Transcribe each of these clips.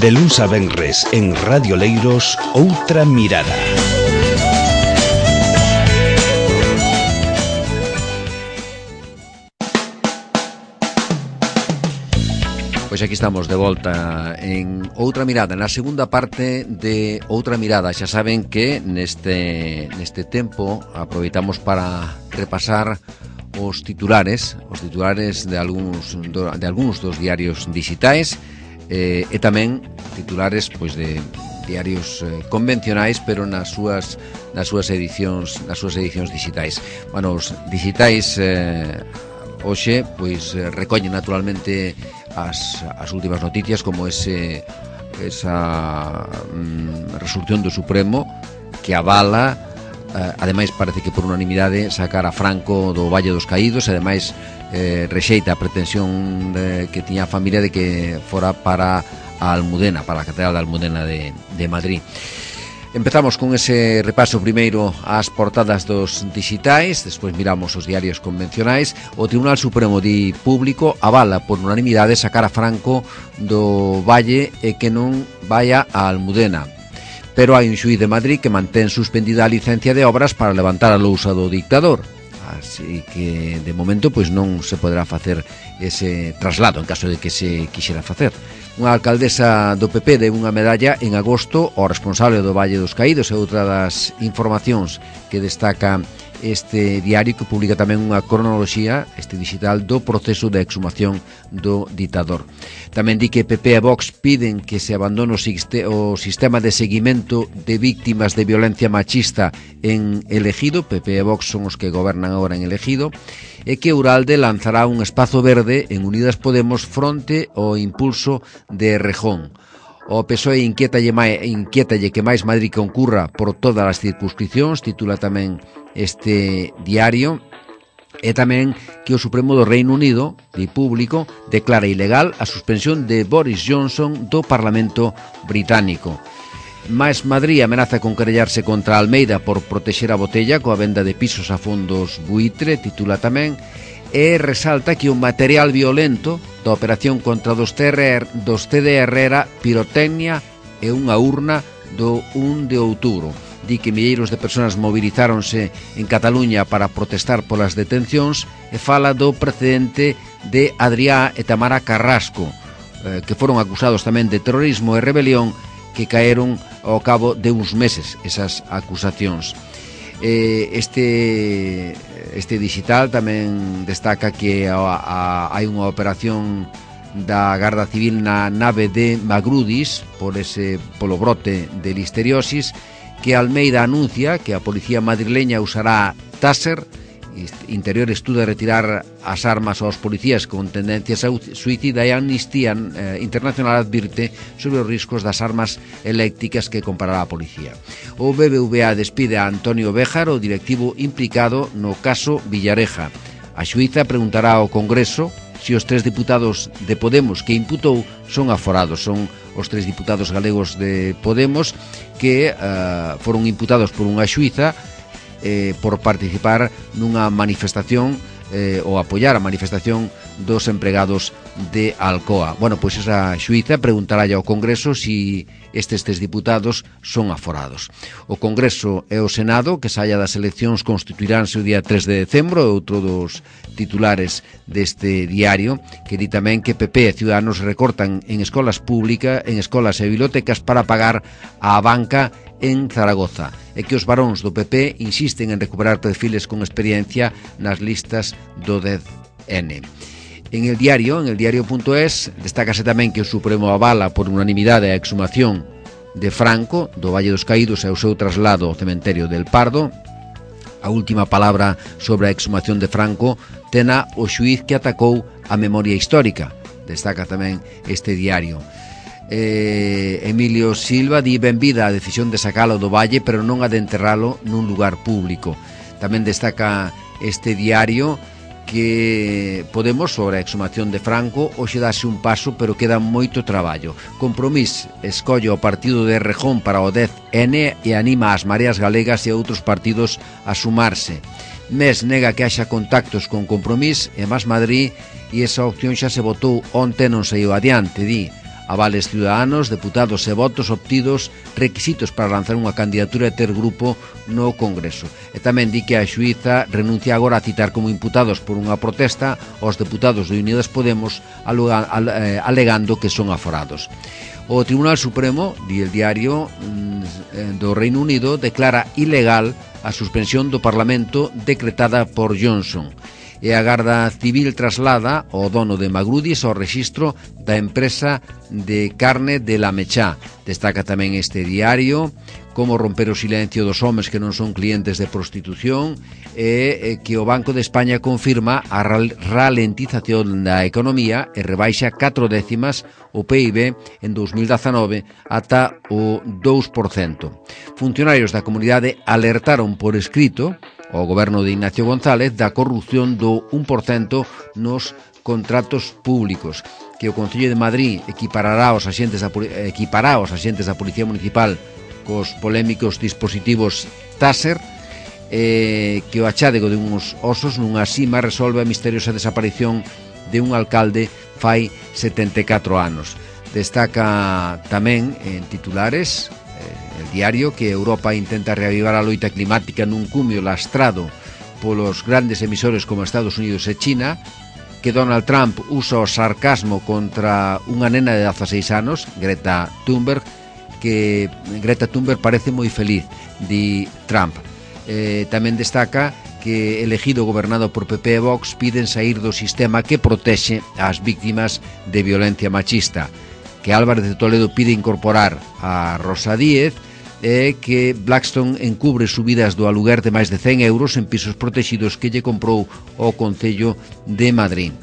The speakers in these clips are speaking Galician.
De luns a venres en Radio Leiros, Outra Mirada. Pois aquí estamos de volta en Outra Mirada, na segunda parte de Outra Mirada. Xa saben que neste tempo aproveitamos para repasar os titulares de algúns dos diarios digitais e tamén titulares pois de diarios convencionais, pero nas súas edicións digitais. Bueno, os digitais hoxe pois recollen naturalmente as últimas noticias, como esa resolución do Supremo que avala, ademais parece que por unanimidade, sacar a Franco do Valle dos Caídos, e ademais rexeita a pretensión que tiña a familia de que fora para a Almudena, para a Catedral da Almudena de Madrid. Empezamos con ese repaso primeiro ás portadas dos digitais, despois miramos os diarios convencionais. O Tribunal Supremo di público avala por unanimidade sacar a Franco do Valle e que non vaya a Almudena. Pero hai un xuíz de Madrid que mantén suspendida a licencia de obras para levantar a lousa do dictador. Así que, de momento, pois non se poderá facer ese traslado en caso de que se quixera facer. Unha alcaldesa do PP deu unha medalla en agosto ao responsable do Valle dos Caídos, e outra das informacións que destaca este diario, que publica tamén unha cronoloxía, este digital, do proceso de exhumación do ditador. Tamén di que PP e Vox piden que se abandone o sistema de seguimento de víctimas de violencia machista en Elegido. PP e Vox son os que gobernan agora en Elegido, e que Uralde lanzará un espazo verde en Unidas Podemos fronte ao impulso de Errejón. O PSOE inquiétalle que máis Madrid concurra por todas as circunscripcións, titula tamén este diario. E tamén que o Supremo do Reino Unido, de público, declara ilegal a suspensión de Boris Johnson do Parlamento Británico. Mais Madrid amenaza con querellarse contra Almeida por protexer a botella coa venda de pisos a fondos buitre, titula tamén, e resalta que o material violento da operación contra dos TDR era pirotecnia e unha urna do 1 de outubro. Di que milleiros de persoas movilizáronse en Cataluña para protestar polas detencións, e fala do precedente de Adrià e Tamara Carrasco, que foron acusados tamén de terrorismo e rebelión, que caeron ao cabo de uns meses esas acusacións. Este digital tamén destaca que hai unha operación da Garda Civil na nave de Magrudis polo brote de listeriosis, que Almeida anuncia que a policía madrileña usará Taser. Interior estuda retirar as armas aos policías con tendencias suicida, e Amnistía Internacional advirte sobre os riscos das armas eléctricas que comprará a policía. O BBVA despide a Antonio Béjar, o directivo implicado no caso Villareja. A xuíza preguntará ao Congreso se os 3 diputados de Podemos que imputou son aforados. Son os 3 diputados galegos de Podemos que foron imputados por unha xuíza por participar nunha manifestación ou apoiar a manifestación dos empregados de Alcoa. Bueno, pois esa xuíza preguntará ao Congreso se estes diputados son aforados. O Congreso e o Senado, que saia das eleccións, constituiránse o día 3 de decembro, outro dos titulares deste diario, que di tamén que PP e Ciudadanos recortan en escolas públicas, en escolas e bibliotecas para pagar a banca en Zaragoza, e que os varóns do PP insisten en recuperar perfiles con experiencia nas listas do 10N. En el diario.es, destácase tamén que o Supremo avala por unanimidade a exhumación de Franco do Valle dos Caídos e o seu traslado ao cementerio del Pardo. A última palabra sobre a exhumación de Franco tena o xuíz que atacou a memoria histórica, destaca tamén este diario. Emilio Silva di benvida a decisión de sacalo do Valle, pero non a de enterralo nun lugar público. Tamén destaca este diario que Podemos, sobre a exhumación de Franco, hoxe dase un paso, pero queda moito traballo. Compromís escolle o partido de Errejón para o 10N e anima as Mareas Galegas e outros partidos a sumarse. Mes nega que haxa contactos con Compromís e Más Madrid, e esa opción xa se votou onte, non saiu adiante, di. avales ciudadanos, deputados e votos obtidos, requisitos para lanzar unha candidatura e ter grupo no Congreso. E tamén di que a xuíza renuncia agora a citar como imputados por unha protesta aos deputados de Unidas Podemos alegando que son aforados. O Tribunal Supremo, di el diario do Reino Unido, declara ilegal a suspensión do Parlamento decretada por Johnson. E a Garda Civil traslada o dono de Magrudis ao rexistro da empresa de carne de La Mechá. Destaca tamén este diario como romper o silencio dos homes que non son clientes de prostitución e que o Banco de España confirma a ralentización da economía e rebaixa 4 décimas o PIB en 2019 ata o 2%. Funcionarios da comunidade alertaron por escrito ao goberno de Ignacio González da corrupción do 1% nos contratos públicos, que o Concello de Madrid equipará os axentes da Policía Municipal cos polémicos dispositivos Taser, que o achádego de uns osos nunha sima resolve a misteriosa desaparición de un alcalde fai 74 anos. Destaca tamén en titulares el diario que Europa intenta reavivar a loita climática nun cumio lastrado polos grandes emisores como Estados Unidos e China, que Donald Trump usa o sarcasmo contra unha nena de 16 anos, Greta Thunberg, que Greta Thunberg parece moi feliz, di Trump. Tamén destaca que elegido gobernado por PP e Vox piden sair do sistema que protexe as víctimas de violencia machista, que Álvarez de Toledo pide incorporar a Rosa Díez e que Blackstone encubre subidas do aluguer de máis de 100 euros en pisos protegidos que lle comprou o Concello de Madrid.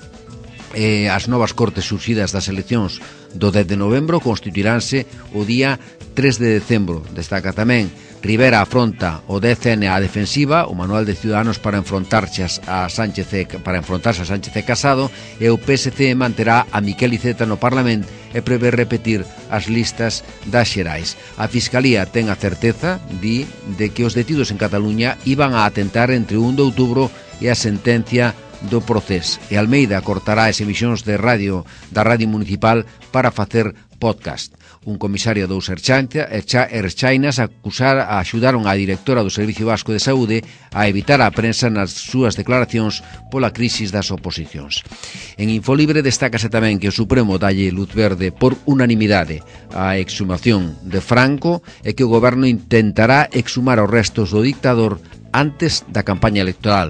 As novas cortes surxidas das eleccións do 10 de novembro constituiránse o día 3 de decembro. Destaca tamén Rivera afronta o DCN á defensiva, o Manual de Ciudadanos para enfrontarse a Sánchez e Casado, e o PSC manterá a Miquel Iceta no Parlamento e prevé repetir as listas das xerais. A Fiscalía ten a certeza, di, de que os detidos en Cataluña iban a atentar entre o 1 de outubro e a sentencia do Procés, e Almeida cortará as emisións de radio da Radio Municipal para facer podcast. Un comisario dos Erchainas axudaron a directora do Servicio Vasco de Saúde a evitar a prensa nas súas declaracións pola crisis das oposicións. En Infolibre destácase tamén que o Supremo dalle luz verde por unanimidade a exhumación de Franco e que o goberno intentará exhumar os restos do dictador antes da campaña electoral.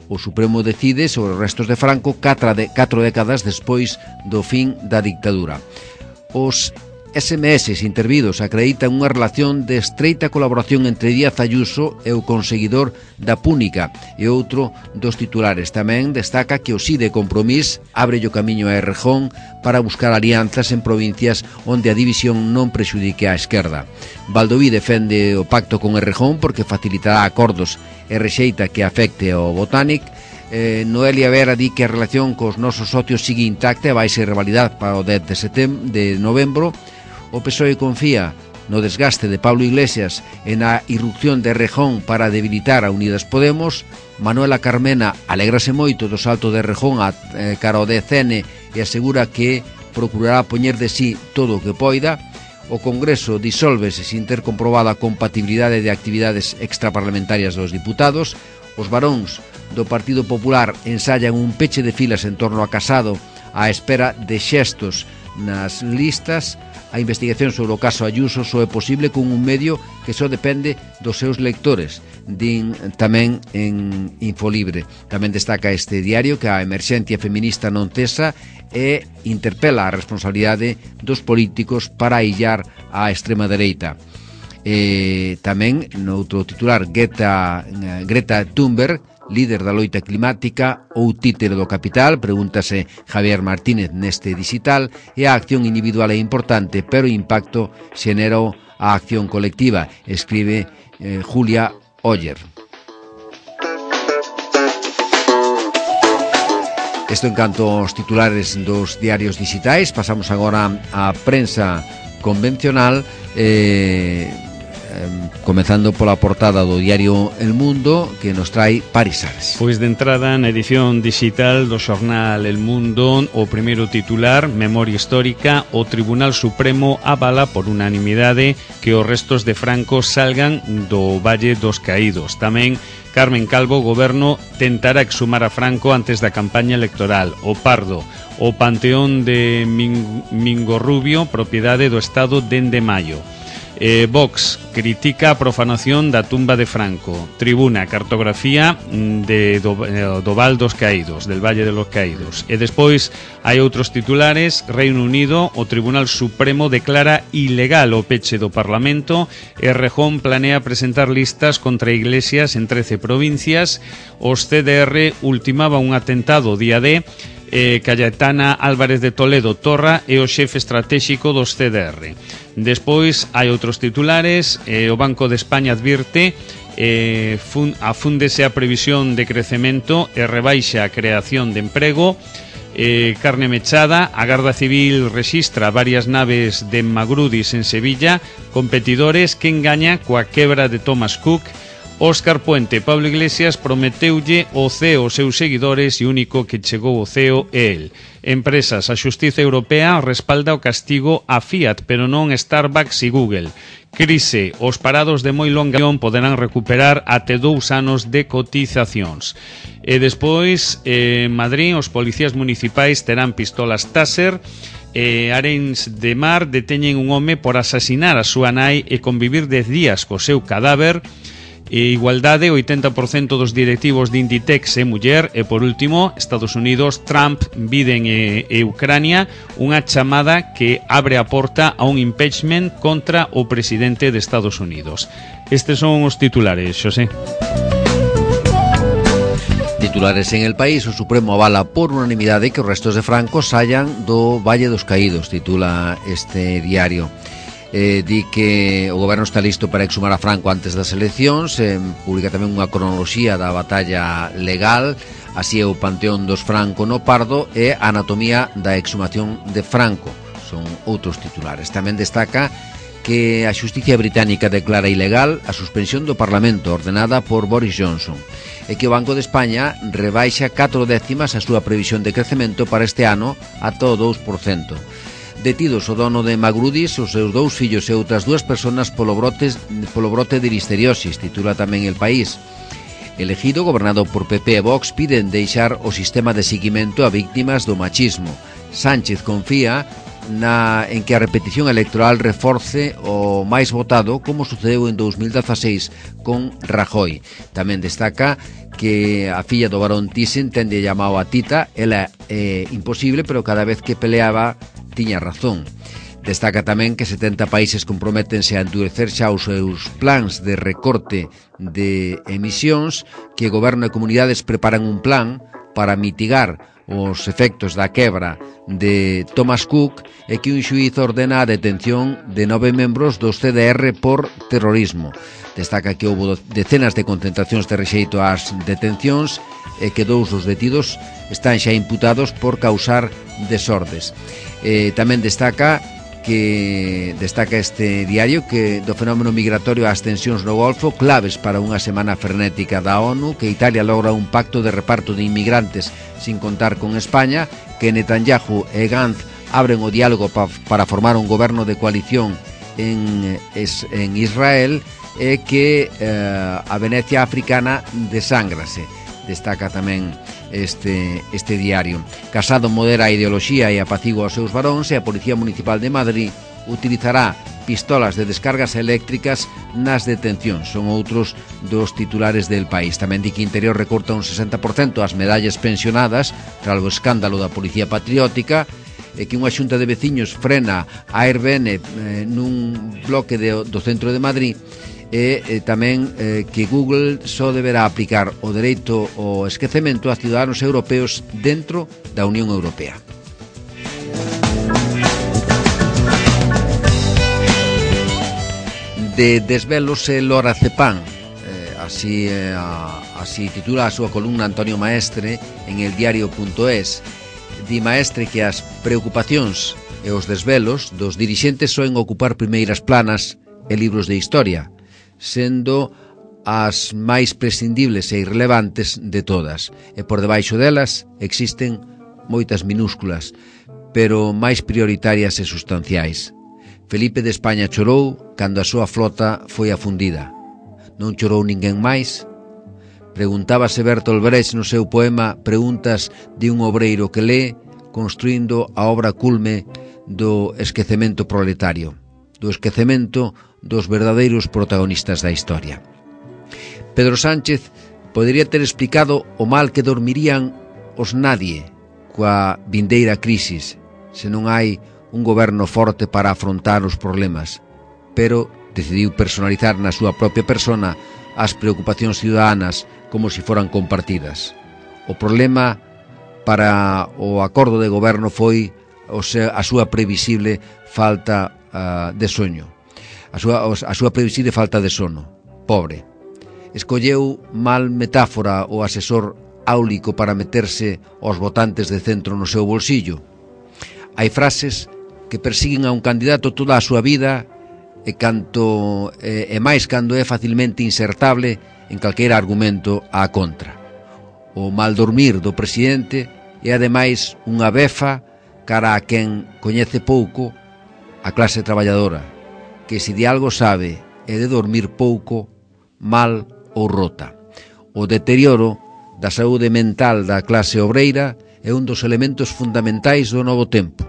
O Supremo decide sobre os restos de Franco 4 décadas despois do fin da dictadura. Os SMS intervidos acreditan unha relación de estreita colaboración entre Díaz Ayuso e o conseguidor da Púnica, e outro dos titulares tamén destaca que o sí de Compromís abre o camiño a Errejón para buscar alianzas en provincias onde a división non prexudique á esquerda. Baldoví defende o pacto con Errejón porque facilitará acordos e rexeita que afecte ao Botánic. Noelia Vera di que a relación cos nosos socios sigue intacta e vai ser revalidada para o 10 de novembro. O PSOE confía no desgaste de Pablo Iglesias e na irrupción de Errejón para debilitar a Unidas Podemos. Manuela Carmena alégrase moito do salto de Errejón cara ao DCN e asegura que procurará poñer de sí todo o que poida. O Congreso disólvese sin ter comprobada a compatibilidade de actividades extraparlamentarias dos diputados. Os varóns do Partido Popular ensayan un peche de filas en torno a Casado á espera de xestos nas listas. A investigación sobre o caso Ayuso só é posible con un medio que só depende dos seus lectores, din tamén en Infolibre. Tamén destaca este diario que a emerxencia feminista non cesa e interpela a responsabilidade dos políticos para aillar a extrema dereita. Tamén, noutro titular, Greta Thunberg, líder da loita climática ou títere do capital, pregúntase Javier Martínez neste digital, e a acción individual é importante, pero o impacto xenera a acción colectiva, escribe Julia Oller. Isto en canto aos titulares dos diarios digitais. Pasamos agora á prensa convencional. comezando pola portada do diario El Mundo, que nos trae Paris Sales. Pois de entrada na edición digital do xornal El Mundo, o primeiro titular, Memoria Histórica, o Tribunal Supremo avala por unanimidade que os restos de Franco salgan do Valle dos Caídos. Tamén Carmen Calvo, o goberno tentará exhumar a Franco antes da campaña electoral. O Pardo, o Panteón de Mingorrubio, propiedade do Estado dende maio. Vox critica a profanación da tumba de Franco. Tribuna, cartografía do Val dos Caídos, del Valle de los Caídos. E despois hai outros titulares. Reino Unido, o Tribunal Supremo declara ilegal o peche do Parlamento e Rejón planea presentar listas contra iglesias en 13 provincias. Os CDR ultimaba un atentado día D. Cayetana Álvarez de Toledo Torra é o xefe estratégico dos CDR. Despois hai outros titulares. O Banco de España advirte afúndese a previsión de crecemento e rebaixa a creación de emprego. Carne mechada, a Garda Civil rexistra varias naves de Magrudis en Sevilla, competidores que engaña coa quebra de Thomas Cook. Óscar Puente, Pablo Iglesias prometeulle o CEO aos seus seguidores e o único que chegou ao CEO é el. Empresas, a Xustiza Europea respalda o castigo a Fiat, pero non Starbucks e Google. Crise, os parados de moi longa poderán recuperar até 2 anos de cotizacións. E despois, en Madrid, os policías municipais terán pistolas Taser. Arenys de Mar deteñen un home por asasinar a súa nai e convivir 10 días co seu cadáver. Igualdade, 80% dos directivos de Inditex é muller. E por último, Estados Unidos, Trump, Biden e Ucrania, unha chamada que abre a porta a un impeachment contra o presidente de Estados Unidos. Estes son os titulares, Xosé. Titulares en El País. O Supremo avala por unanimidade que os restos de Franco saian do Valle dos Caídos, titula este diario. Di que o goberno está listo para exhumar a Franco antes das eleccións. Publica tamén unha cronoloxía da batalla legal. Así é o Panteón dos Franco no Pardo e a anatomía da exhumación de Franco. Son outros titulares. Tamén destaca que a xusticia británica declara ilegal a suspensión do Parlamento ordenada por Boris Johnson e que o Banco de España rebaixa 4 décimas a súa previsión de crecemento para este ano ata o 2%. Detidos o dono de Magrudis, os seus 2 fillos e outras 2 persoas polo brote de listeriosis, titula tamén El País. El ejido, gobernado por PP e Vox, piden deixar o sistema de seguimento a víctimas do machismo. Sánchez confía en que a repetición electoral reforce o máis votado, como sucedeu en 2016 con Rajoy. Tamén destaca que a filla do barón Thyssen tende llamado a Tita. Ela é imposible, pero cada vez que peleaba tiña razón. Destaca tamén que 70 países comprométense a endurecer xa os seus plans de recorte de emisións, que o goberno e comunidades preparan un plan para mitigar os efectos da quebra de Thomas Cook e que un xuíz ordena a detención de 9 membros dos CDR por terrorismo. Destaca que houve decenas de concentracións de rexeito ás detencións e que 2 dos detidos están xa imputados por causar desordes. Tamén destaca este diario que do fenómeno migratorio ás tensións no Golfo, claves para unha semana frenética da ONU, que Italia logra un pacto de reparto de inmigrantes sin contar con España, que Netanyahu e Gantz abren o diálogo para formar un goberno de coalición en Israel, e que a Venecia africana desángrase. Destaca tamén este diario. Casado modera a ideoloxía e apacigua os seus varóns, e a Policía Municipal de Madrid utilizará pistolas de descargas eléctricas nas detencións. Son outros dos titulares del País. Tamén di que Interior recorta un 60% as medallas pensionadas tras o escándalo da Policía Patriótica, e que unha xunta de veciños frena a Airbnb nun bloque do centro de Madrid, e tamén que Google só deberá aplicar o dereito ao esquecemento a ciudadanos europeos dentro da Unión Europea. De desvelos e lorazepam, así titula a súa columna Antonio Maestre en eldiario.es. Di Maestre que as preocupacións e os desvelos dos dirixentes soen ocupar primeiras planas e libros de historia. sendo as máis prescindibles e irrelevantes de todas, e por debaixo delas existen moitas minúsculas, pero máis prioritarias e sustanciais. Felipe de España chorou cando a súa flota foi afundida. Non chorou ninguén máis? Preguntábase Bertolt Brecht no seu poema Preguntas de un obreiro que lé, construindo a obra culme do esquecemento proletario, do esquecemento dos verdadeiros protagonistas da historia. Pedro Sánchez podería ter explicado o mal que dormirían os nadie coa vindeira crisis se non hai un goberno forte para afrontar os problemas, pero decidiu personalizar na súa propia persona as preocupacións ciudadanas como se foran compartidas. O problema para o acordo de goberno foi a súa previsible falta de soño, a súa previsible falta de sono. Pobre. Escolleu mal metáfora o asesor áulico para meterse aos votantes de centro no seu bolsillo. Hai frases que persiguen a un candidato toda a súa vida e máis cando é facilmente insertable en calquera argumento á contra. O mal dormir do presidente é ademais unha befa cara a quen coñece pouco a clase traballadora, que se de algo sabe é de dormir pouco, mal ou rota. O deterioro da saúde mental da clase obreira é un dos elementos fundamentais do novo tempo.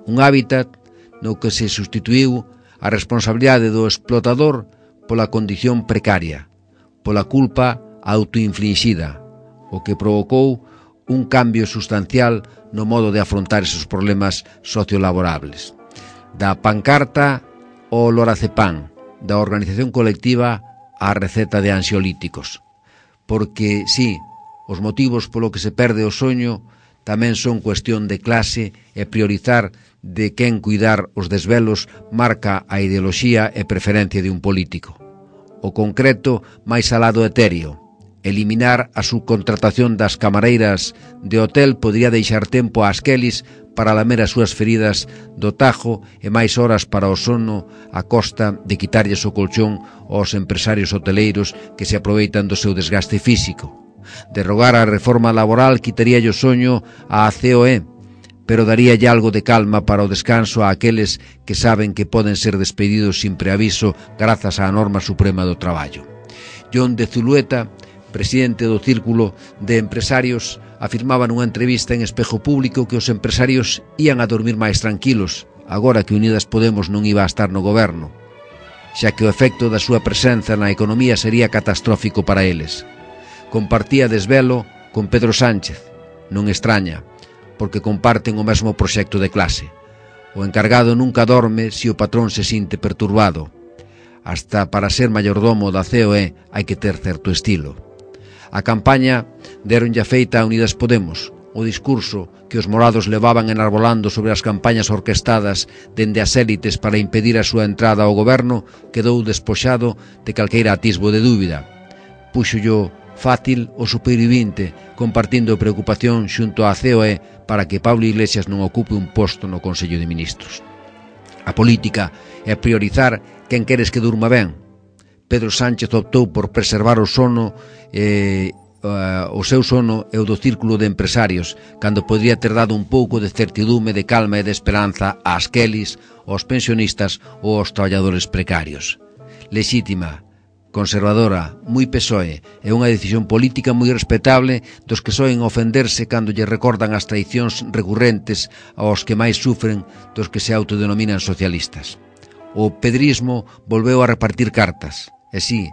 Un hábitat no que se sustituiu a responsabilidade do explotador pola condición precaria, pola culpa autoinfligida, o que provocou un cambio sustancial no modo de afrontar esos problemas sociolaborables. Da pancarta ao lorazepam, da organización colectiva á receta de ansiolíticos. Porque, sí, os motivos polo que se perde o soño tamén son cuestión de clase e priorizar de quen cuidar os desvelos marca a ideoloxía e preferencia de un político. O concreto máis alá do etéreo. Eliminar a subcontratación das camareiras de hotel podría deixar tempo ás Kellys para lamer as súas feridas do tajo e máis horas para o sono a costa de quitarlles o colchón aos empresarios hoteleiros que se aproveitan do seu desgaste físico. Derrogar a reforma laboral quitaríalle o soño á COE, pero daríalle algo de calma para o descanso a aqueles que saben que poden ser despedidos sin preaviso grazas á norma suprema do traballo. John de Zulueta, presidente do Círculo de Empresarios, afirmaba nunha entrevista en Espejo Público que os empresarios ían a dormir máis tranquilos agora que Unidas Podemos non iba a estar no goberno, xa que o efecto da súa presenza na economía sería catastrófico para eles. Compartía desvelo con Pedro Sánchez, non extraña, porque comparten o mesmo proxecto de clase. O encargado nunca dorme se o patrón se sinte perturbado. Hasta para ser mayordomo da COE hai que ter certo estilo. A campaña deronlle feita a Unidas Podemos. O discurso que os morados levaban enarbolando sobre as campañas orquestadas dende as élites para impedir a súa entrada ao goberno quedou despoxado de calqueira atisbo de dúbida. Púxollo fácil o supervivinte, compartindo preocupación xunto á COE para que Pablo Iglesias non ocupe un posto no Consello de Ministros. A política é priorizar quen queres que durma ben. Pedro Sánchez optou por preservar o sono o seu sono e o do Círculo de Empresarios, cando podría ter dado un pouco de certidume, de calma e de esperanza ás Kellys, aos pensionistas ou aos traballadores precarios. Lexítima, conservadora, moi PSOE, é unha decisión política moi respetable dos que soen ofenderse cando lle recordan as traicións recurrentes aos que máis sufren dos que se autodenominan socialistas. O pedrismo volveu a repartir cartas, e sí,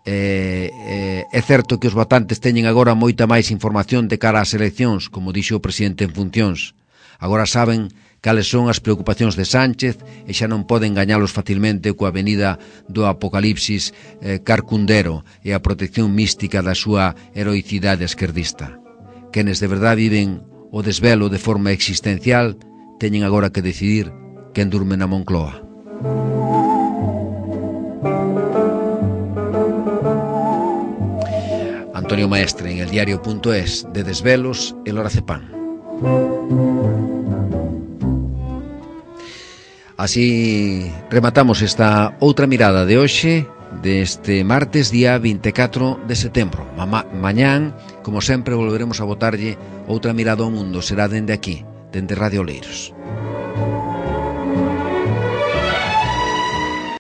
é certo que os votantes teñen agora moita máis información de cara ás eleccións, como dixo o presidente en funcións. Agora saben cales son as preocupacións de Sánchez e xa non poden gañalos facilmente coa avenida do apocalipsis carcundero e a protección mística da súa heroicidade esquerdista. Quenes de verdade viven o desvelo de forma existencial teñen agora que decidir quen durme na Moncloa. Antonio Maestre en eldiario.es, de desvelos e lorazepam. Así rematamos esta outra mirada de hoxe, deste martes, día 24 de setembro. Mañán, como sempre, volveremos a botarlle outra mirada ao mundo. Será dende aquí, dende Radio Oleiros.